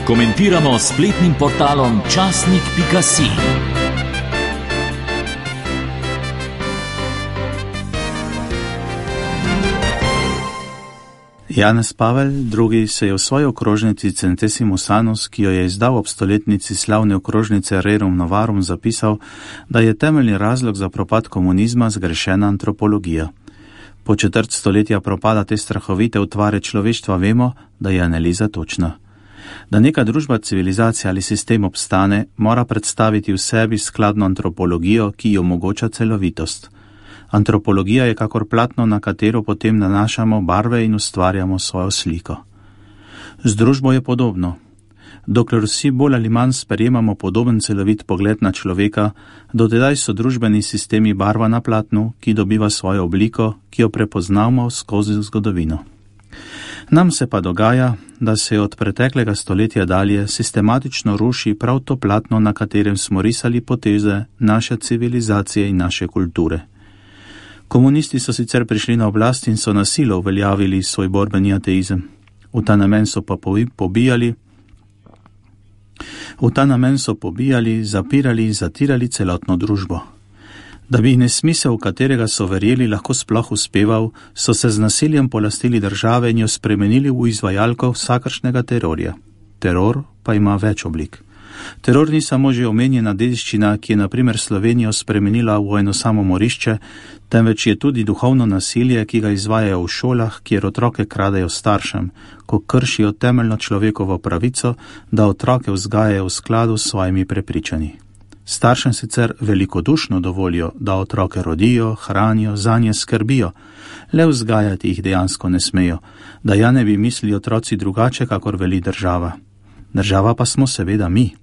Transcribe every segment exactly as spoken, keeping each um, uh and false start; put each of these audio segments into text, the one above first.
Komentiramo s spletnim portalom časnik pika si. Janez Pavel drugi. se je v svoji okrožnici Centesimus Annus, ki jo je izdal ob stoletnici slavne okrožnice Rerum Novarum, zapisal, da je temeljni razlog za propad komunizma zgrešena antropologija. Po četrt stoletja propada te strahovite utvare človeštva vemo, da je analiza točna. Da neka družba, civilizacija ali sistem obstane, mora predstaviti v sebi skladno antropologijo, ki ji omogoča celovitost. Antropologija je kakor platno, na katero potem nanašamo barve in ustvarjamo svojo sliko. Z družbo je podobno. Dokler vsi bolj ali manj sprejemamo podoben celovit pogled na človeka, dotedaj so družbeni sistemi barva na platnu, ki dobiva svojo obliko, ki jo prepoznamo skozi zgodovino. Nam se pa dogaja, da se od preteklega stoletja dalje sistematično ruši prav to platno, na katerem smo risali poteze naše civilizacije in naše kulture. Komunisti so sicer prišli na oblast in so na silo uveljavili svoj borbeni ateizem. V ta namen so pa pobijali, v ta namen so pobijali, zapirali in zatirali celotno družbo. Da bi nesmisel, v katerega so verjeli, lahko sploh uspeval, so se z nasiljem polastili države in jo spremenili v izvajalko vsakršnega terorja. Teror pa ima več oblik. Teror ni samo že omenjena dediščina, ki je na primer Slovenijo spremenila v eno samo morišče, temveč je tudi duhovno nasilje, ki ga izvajajo v šolah, kjer otroke kradejo staršem, ko kršijo temeljno človekovo pravico, da otroke vzgajajo v skladu s svojimi prepričanji. Staršem sicer velikodušno dovolijo, da otroke rodijo, hranijo, zanje skrbijo, le vzgajati jih dejansko ne smejo, da ja ne bi mislili otroci drugače, kakor veli država. Država pa smo seveda mi.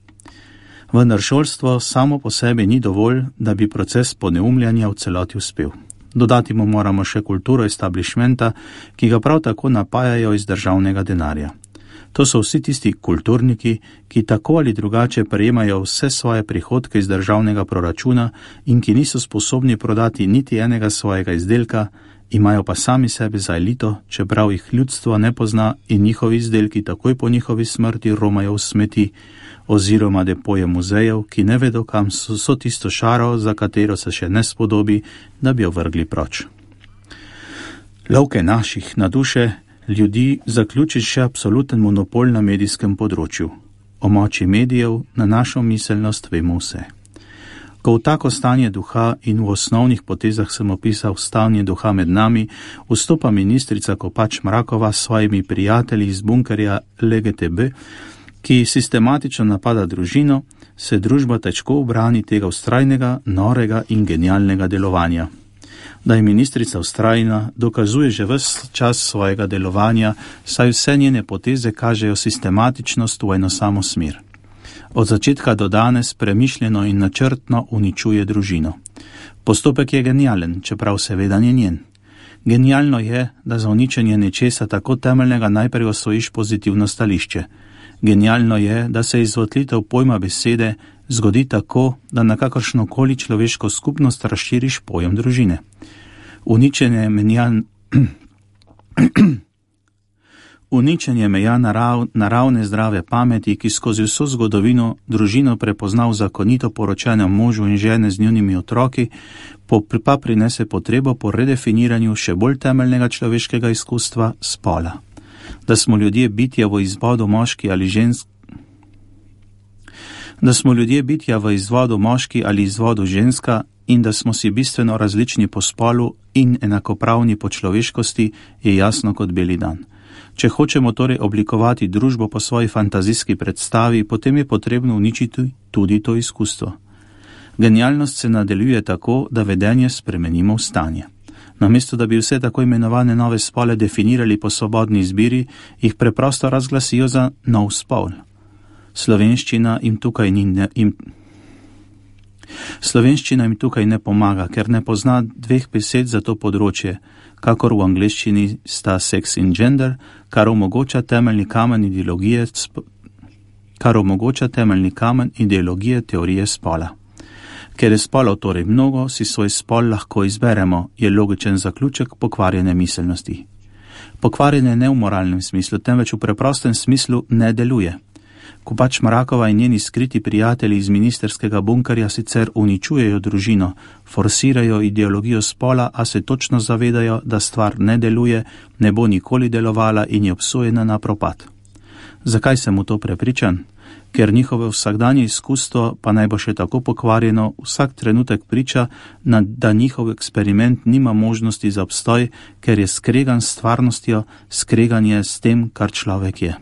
Vendar šolstvo samo po sebi ni dovolj, da bi proces poneumljanja v celoti uspel. Dodati mu moramo še kulturo establishmenta, ki ga prav tako napajajo iz državnega denarja. To so vsi tisti kulturniki, ki tako ali drugače prejemajo vse svoje prihodke iz državnega proračuna in ki niso sposobni prodati niti enega svojega izdelka, imajo pa sami sebe za elito, čeprav jih ljudstvo ne pozna in njihovi izdelki takoj po njihovi smrti romajo v smeti oziroma depoje muzejev, ki ne vedo, kam so, so tisto šaro, za katero se še ne spodobi, da bi jo vrgli proč. Lovke naših na duše ljudi zaključi še absoluten monopol na medijskem področju. O moči medijev na našo miselnost vemo vse. Ko v tako stanje duha in v osnovnih potezah sem opisal stanje duha med nami, vstopa ministrica Kopač Mrakova s svojimi prijatelji iz bunkerja L G T B, ki sistematično napada družino, se družba težko ubrani tega vztrajnega, norega in genialnega delovanja. Da je ministrica vztrajna, dokazuje že ves čas svojega delovanja, saj vse njene poteze kažejo sistematičnost v eno samo smer. Od začetka do danes premišljeno in načrtno uničuje družino. Postopek je genialen, čeprav seveda ni njen. Genialno je, da za uničenje nečesa tako temeljnega najprej osvojiš pozitivno stališče. Genialno je, da se izvotlitev pojma besede zgodi tako, da na kakršnokoli človeško skupnost razširiš pojem družine. Uničenje menja, uničenje meja narav, naravne zdrave pameti, ki skozi vso zgodovino družino prepoznal zakonito poročenem možu in žene z njunimi otroki, pa prinese potrebo po redefiniranju še bolj temeljnega človeškega izkustva spola. Da smo ljudje bitja v izvodu moški ali žensk, da smo ljudje bitja v izvodu moški ali izvodu ženska in da smo si bistveno različni po spolu in enakopravni po človeškosti, je jasno kot beli dan. Če hočemo torej oblikovati družbo po svoji fantazijski predstavi, potem je potrebno uničiti tudi to izkustvo. Genialnost se nadaljuje tako, da vedenje spremenimo v stanje. Namesto da bi vse tako imenovane nove spole definirali po svobodni izbiri, jih preprosto razglasijo za nov spol. Slovenščina jim tukaj ni ne, jim... Slovenščina jim tukaj ne pomaga, ker ne pozna dveh besed za to področje, kakor v angleščini sta sex in gender, kar omogoča temeljni kamen ideologije, kar omogoča temeljni kamen ideologije teorije spola. Ker je spolov torej mnogo, si svoj spol lahko izberemo, je logičen zaključek pokvarjene miselnosti. Pokvarjene ne v moralnem smislu, temveč v preprostem smislu ne deluje. Kopač Mrakova in njeni skriti prijatelji iz ministerskega bunkerja sicer uničujejo družino, forsirajo ideologijo spola, a se točno zavedajo, da stvar ne deluje, ne bo nikoli delovala in je obsojena na propad. Zakaj sem v to prepričan? Ker njihove vsakdanje izkustvo, pa naj bo še tako pokvarjeno, vsak trenutek priča, da njihov eksperiment nima možnosti za obstoj, ker je skregan s stvarnostjo, skregan je s tem, kar človek je.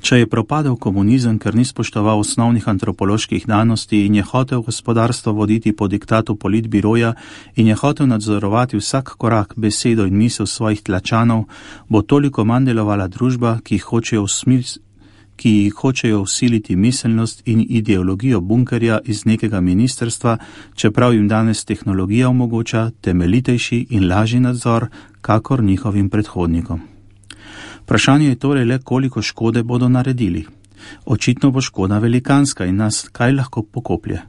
Če je propadel komunizem, ker ni spoštoval osnovnih antropoloških danosti in je hotel gospodarstvo voditi po diktatu politbiroja in je hotel nadzorovati vsak korak, besedo in misel svojih tlačanov, bo toliko manj delovala družba, ki hočejo usmisliti ki jih hočejo vsiliti miselnost in ideologijo bunkerja iz nekega ministrstva, čeprav jim danes tehnologija omogoča temeljitejši in lažji nadzor, kakor njihovim predhodnikom. Vprašanje je torej le, koliko škode bodo naredili. Očitno bo škoda velikanska in nas kaj lahko pokoplje.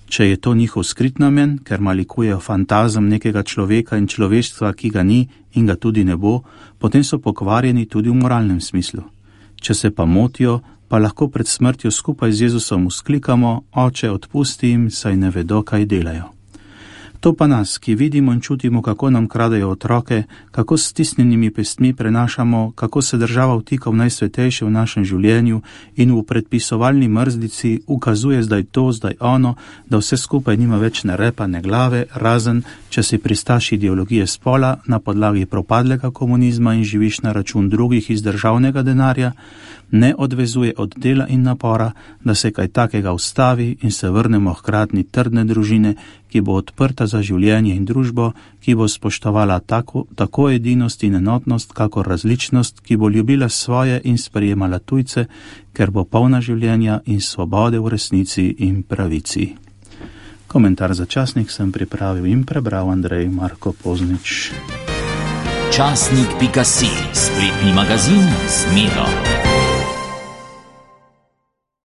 Če je to njihov skrit namen, ker malikujejo fantazem nekega človeka in človeštva, ki ga ni in ga tudi ne bo, potem so pokvarjeni tudi v moralnem smislu. Če se pa motijo, pa lahko pred smrtjo skupaj z Jezusom vzklikamo: Oče, odpusti jim, saj ne vedo, kaj delajo. To pa nas, ki vidimo in čutimo, kako nam kradejo otroke, kako s stisnjenimi pestmi prenašamo, kako se država vtika v najsvetejše v našem življenju in v predpisovalni mrzlici ukazuje zdaj to, zdaj ono, da vse skupaj nima več ne repa, ne glave, razen če si pristaš ideologije spola na podlagi propadlega komunizma in živiš na račun drugih iz državnega denarja, ne odvezuje od dela in napora, da se kaj takega ustavi in se vrnemo hkratni trdne družine, ki bo odprta za življenje in družbo, ki bo spoštovala tako, tako edinost in enotnost, kakor različnost, ki bo ljubila svoje in sprejemala tujce, ker bo polna življenja in svobode v resnici in pravici. Komentar za časnik sem pripravil in prebral Andrej Marko Poznič. Časnik pika si, spletni magazin z Miro.